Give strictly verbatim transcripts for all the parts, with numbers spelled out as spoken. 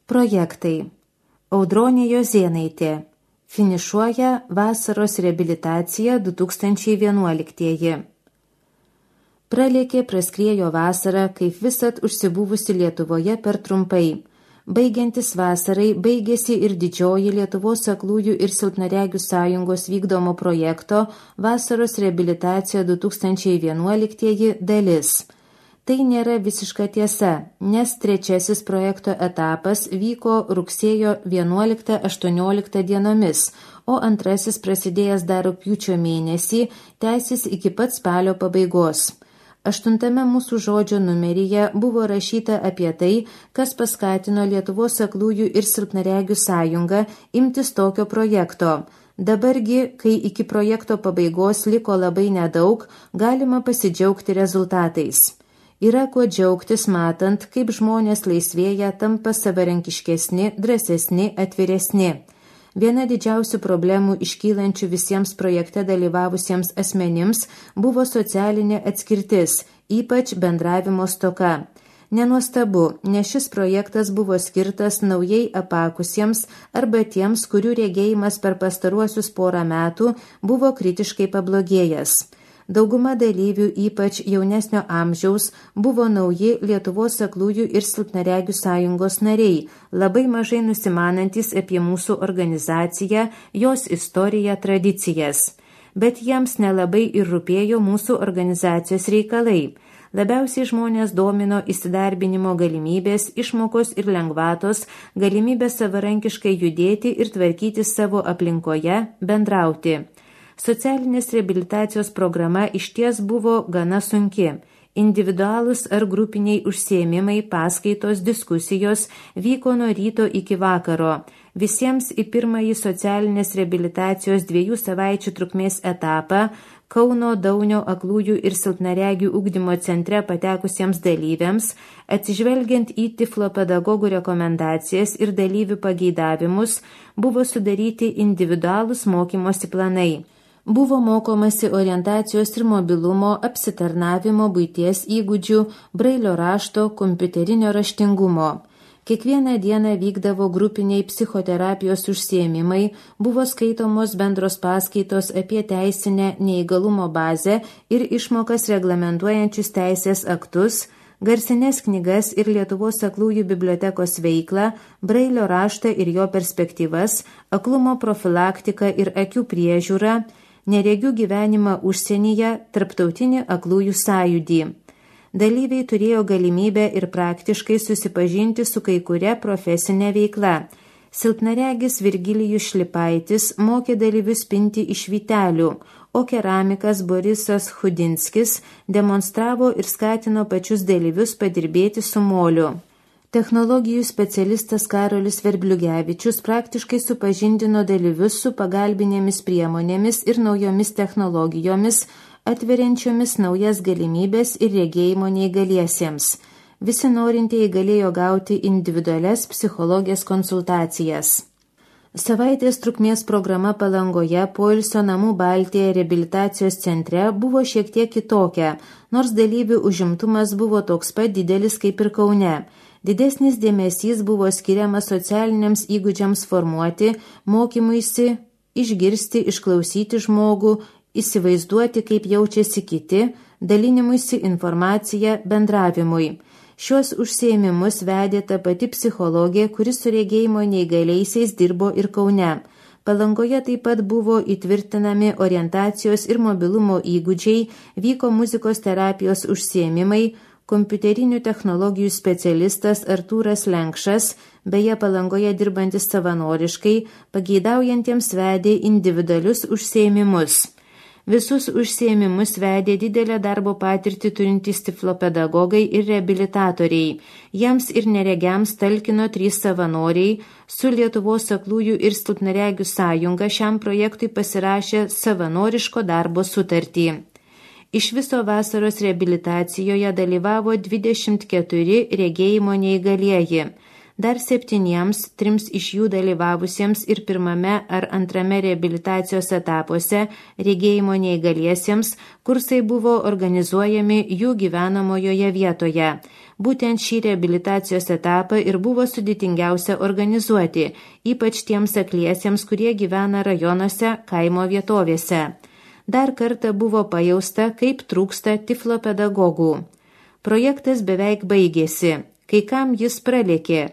Projektai. Audronė Jozėnaitė. Finišuoja vasaros reabilitacija du tūkstančiai vienuoliktieji. Pralėkė praskriejo vasara, kaip visad užsibuvusi Lietuvoje per trumpai. Baigiantis vasarai baigėsi ir didžioji Lietuvos aklųjų ir silpnaregių sąjungos vykdomo projekto vasaros reabilitacija du tūkstančiai vienuoliktieji dalis. Tai nėra visiška tiesa, nes trečiasis projekto etapas vyko rugsėjo vienuoliktą aštuonioliktą dienomis, o antrasis prasidėjęs dar rugpjūčio mėnesį tęsis iki pat spalio pabaigos. Aštuntame mūsų žodžio numeryje buvo rašyta apie tai, kas paskatino Lietuvos aklųjų ir silpnaregių sąjungą imtis tokio projekto. Dabargi, kai iki projekto pabaigos liko labai nedaug, galima pasidžiaugti rezultatais. Yra kuo džiaugtis matant, kaip žmonės laisvėja, tampa savarankiškesni, drąsesni, atviresni. Viena didžiausių problemų iškylančių visiems projekte dalyvavusiems asmenims buvo socialinė atskirtis, ypač bendravimo stoka. Nenuostabu, nes šis projektas buvo skirtas naujai apakusiems arba tiems, kurių regėjimas per pastaruosius porą metų buvo kritiškai pablogėjęs. Dauguma dalyvių, ypač jaunesnio amžiaus, buvo nauji Lietuvos aklųjų ir silpnaregių sąjungos nariai, labai mažai nusimanantis apie mūsų organizaciją, jos istoriją, tradicijas. Bet jiems nelabai ir rūpėjo mūsų organizacijos reikalai. Labiausiai žmonės domino įsidarbinimo galimybės, išmokos ir lengvatos, galimybė savarankiškai judėti ir tvarkyti savo aplinkoje, bendrauti. Socialinės reabilitacijos programa išties buvo gana sunki. Individualūs ar grupiniai užsiėmimai, paskaitos, diskusijos vyko nuo ryto iki vakaro. Visiems į pirmąjį socialinės reabilitacijos dviejų savaičių trukmės etapą Kauno Daunio aklųjų ir silpnaregių ugdymo centre patekusiems dalyviams, atsižvelgiant į tiflopedagogų rekomendacijas ir dalyvių pageidavimus, buvo sudaryti individualūs mokymosi planai. Buvo mokomasi orientacijos ir mobilumo, apsitarnavimo, buities įgūdžių, brailio rašto, kompiuterinio raštingumo. Kiekvieną dieną vykdavo grupiniai psichoterapijos užsiėmimai, buvo skaitomos bendros paskaitos apie teisinę neįgalumo bazę ir išmokas reglamentuojančius teisės aktus, garsines knygas ir Lietuvos aklųjų bibliotekos veiklą, brailio raštą ir jo perspektyvas, aklumo profilaktiką ir akių priežiūrą, neregių gyvenimą užsienyje, tarptautinį aklųjų sąjūdį. Dalyviai turėjo galimybę ir praktiškai susipažinti su kai kuria profesinė veikla. Silpnaregis Virgilijus Šlipaitis mokė dalyvius pinti iš vytelių, o keramikas Borisas Chudinskis demonstravo ir skatino pačius dalyvius padirbėti su moliu. Technologijų specialistas Karolis Verbliugevičius praktiškai supažindino dalyvius su pagalbinėmis priemonėmis ir naujomis technologijomis, atveriančiomis naujas galimybės ir regėjimo neįgaliesiems. Visi norintieji galėjo gauti individualias psichologijos konsultacijas. Savaitės trukmės programa Palangoje poilsio namų Baltija reabilitacijos centre buvo šiek tiek kitokia, nors dalyvių užimtumas buvo toks pat didelis kaip ir Kaune. Didesnis dėmesys buvo skiriamas socialiniams įgūdžiams formuoti, mokymuisi, išgirsti, išklausyti žmogų, įsivaizduoti, kaip jaučiasi kiti, dalinimuisi informacija, bendravimui. Šios užsiėmimus vedė ta pati psichologė, kuris su regėjimo neįgaliaisiais dirbo ir Kaune. Palangoje taip pat buvo įtvirtinami orientacijos ir mobilumo įgūdžiai, vyko muzikos terapijos užsiėmimai, kompiuterinių technologijų specialistas Artūras Lenkšas, beje Palangoje dirbantis savanoriškai, pageidaujantiems vedė individualius užsiėmimus. Visus užsiėmimus vedė didelę darbo patirtį turintys tiflopedagogai ir reabilitatoriai. Jiems ir neregiams talkino trys savanoriai, su Lietuvos aklųjų ir silpnaregių sąjunga šiam projektui pasirašė savanoriško darbo sutartį. Iš viso vasaros reabilitacijoje dalyvavo dvidešimt keturi regėjimo neįgalieji. Dar septyniems, trims iš jų dalyvavusiems ir pirmame ar antrame reabilitacijos etapuose regėjimo neįgaliesiems, kursai buvo organizuojami jų gyvenamojoje vietoje. Būtent šį reabilitacijos etapą ir buvo sudėtingiausia organizuoti, ypač tiems akliesiems, kurie gyvena rajonuose, kaimo vietovėse. Dar kartą buvo pajausta, kaip trūksta tiflopedagogų. Projektas beveik baigėsi, kai kam jis pralėkė.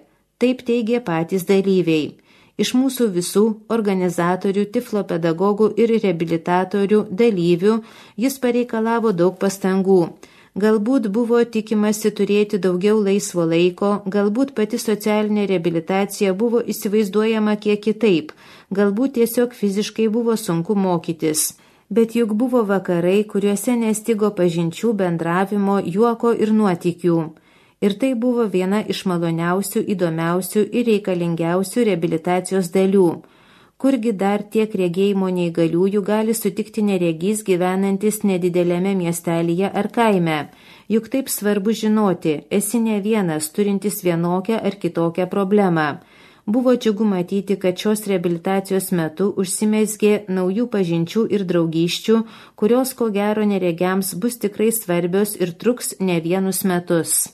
Taip teigė patys dalyviai. Iš mūsų visų organizatorių, tiflopedagogų ir reabilitatorių dalyvių jis pareikalavo daug pastangų. Galbūt buvo tikimasi turėti daugiau laisvo laiko, galbūt pati socialinė reabilitacija buvo įsivaizduojama kiek kitaip, galbūt tiesiog fiziškai buvo sunku mokytis. Bet juk buvo vakarai, kuriuose nestigo pažinčių, bendravimo, juoko ir nuotykių. Ir tai buvo viena iš maloniausių, įdomiausių ir reikalingiausių reabilitacijos dalių. Kurgi dar tiek regėjimo neįgaliųjų gali sutikti neregys gyvenantis nedidelėme miestelyje ar kaime? Juk taip svarbu žinoti, esi ne vienas, turintis vienokią ar kitokią problemą. Buvo džiugu matyti, kad šios reabilitacijos metu užsimezgė naujų pažinčių ir draugysčių, kurios ko gero neregiams bus tikrai svarbios ir truks ne vienus metus.